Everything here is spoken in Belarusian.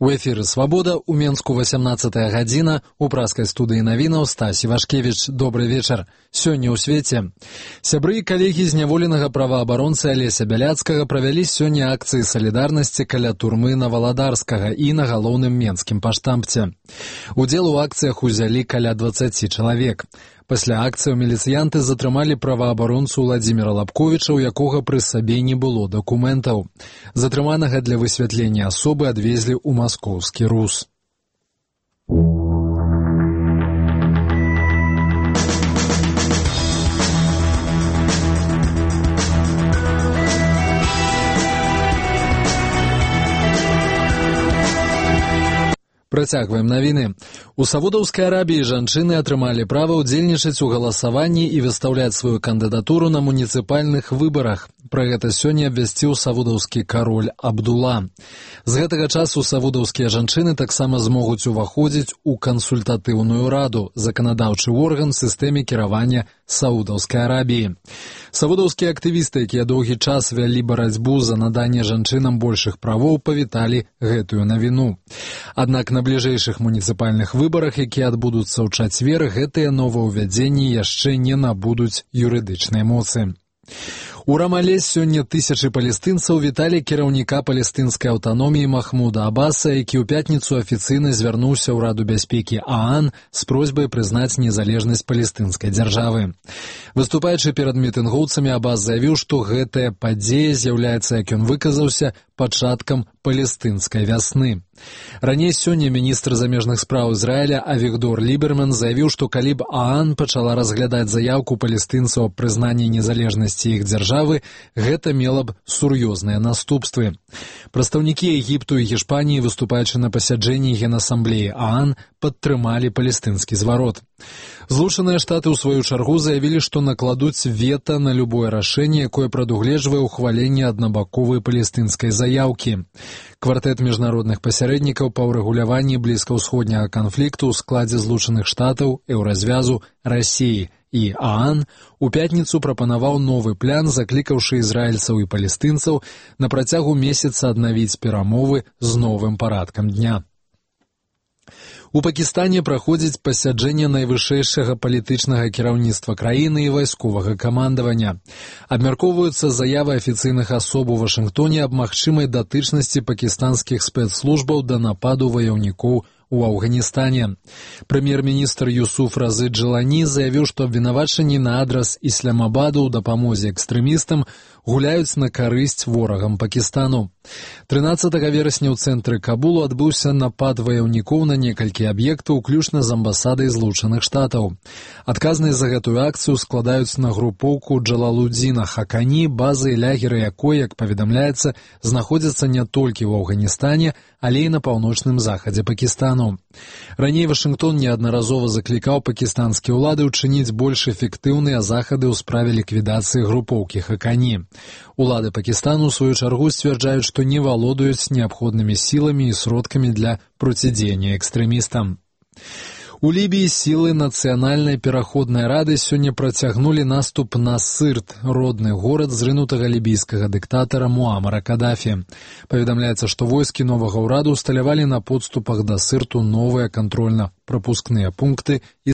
У эфіры «Свабода», у Менску 18 гадзіна, у праскай студыі навінаў Стась Івашкевіч. Добры вечар. Сёння ў свеце. Сябры і калегі зняволенага праваабаронцы Алеся Бяляцкага правялі сёння акцыі салідарнасці каля турмы Наваладарскага і на галоўным менскім паштампце. Удзел у акцыях узялі каля 20 чалавек. Пасля акцыяў міліцыянты затрымалі праваабаронцу Владзіміра Лабковіча, у якога пры сабе не было дакументаў. Затрыманага для высвятлення асобы адвезлі ў маскоўскі РУС. Працягваем навіны. У Саудаўскай Арабіі жанчыны атрымалі права ўдзельнічаць у галасаванні і выстаўляць сваю кандыдатуру на муніцыпальных выбарах. Пра гэта сёння абвясціў саудаўскі кароль Абдула. З гэтага часу саудаўскія жанчыны таксама змогуць уваходзіць у кансультатыўную раду, заканадаўчы орган в сістэме кіравання Саудаўскай Арабіі. Саудаўскія актывісты, якія доўгі час вялі барацьбу за наданне жанчынам большых правоў, павіталі гэтую навіну. Аднак на бліжэйшых муніцыпальных выбарах, якія адбудуцца ў чацвер, гэтыя новаўвядзенні яшчэ не набудуць юрыдычнай моцы. У Рамале сёння тысячы палестынцаў віталі кіраўніка палестынскай аўтаноміі Махмуда Аббаса, які ў пятніцу афіцыйна звярнуўся ў Раду бяспекі ААН з просьбай прызнаць незалежнасць палестынскай дзяржавы. Выступаючы перад мітынгоўцамі, Аббас заявіў, што гэтая падзея з'яўляецца, як ён выказаўся, пачаткам палестынскай вясны. Раней сёння міністр замежных спраў Ізраіля Авігдор Ліберман заявіў, што калі б ААН пачала разглядаць заяўку палестынцаў аб прызнанні незалежнасці іх дзяржавы, гэта мела б сур'ёзныя наступствы. Прадстаўнікі Егіпту і Гішпаніі, выступаючы на пасяджэнні Генасамблеі ААН, падтрымалі палестынскі зварот. Злучаныя Штаты ў сваю чаргу заявілі, што накладуць вета на любое рашэнне, якое прадугледжвае ўхваленне аднабаковай палестынскай заяўкі. Квартэт міжнародных пасярэднікаў па ўрэгуляванні блізкаўсходняга канфлікту ў складзе Злучаных Штатаў, Еўразвязу, Расіі і ААН у пятніцу прапанаваў новы план, заклікаўшы ізраільцаў і палестынцаў на працягу месяца аднавіць перамовы з новым парадкам дня. У Пакістане праходзіць пасяджэнне найвышэйшага палітычнага кіраўніцтва краіны і вайсковага камандавання. Абмяркоўваюцца заявы афіцыйных асоб у Вашынгтоне аб магчымай датычнасці пакістанскіх спецслужбаў да нападу ваяўнікоў у Афганістане. Прэм'ер-міністр Юсуф Разы Джелані заявіў, што абвінавачанні на адрас Ісламабаду ў дапамозе экстрэмістам гуляюць на карысць ворагам Пакістану. 13 верасня ў цэнтры Кабулу адбыўся напад ваяўнікоў на некалькі аб'ектаў, уключна з амбасадай Злучаных Штатаў. Адказнасць за гэтую акцыю складаюць на групоўку Джалалудзіна Хакані, базы і лягеры якой, як паведамляецца, знаходзяцца не толькі ў Афганістане, але і на паўночным захадзе Пакістану. Раней Вашынгтон неаднаразова заклікаў пакістанскія ўлады ўчыніць больш эфектыўныя захады ў справе ліквідацыі групоўкі Хакані. Улады Пакістану, у сваю чаргу, сцвярджаюць, што не валодаюць неабходнымі сіламі і сродкамі для процідзеяння экстрэмістам. У Лібіі сілы Нацыянальнай пераходнай рады сёння працягнулі наступ на Сырт, родны горад зрынутага лібійскага дыктатара Муамара Кадафі. Паведамляецца, што войскі новага ўраду ўсталявалі на подступах да Сырту новыя кантрольна-прапускныя пункты і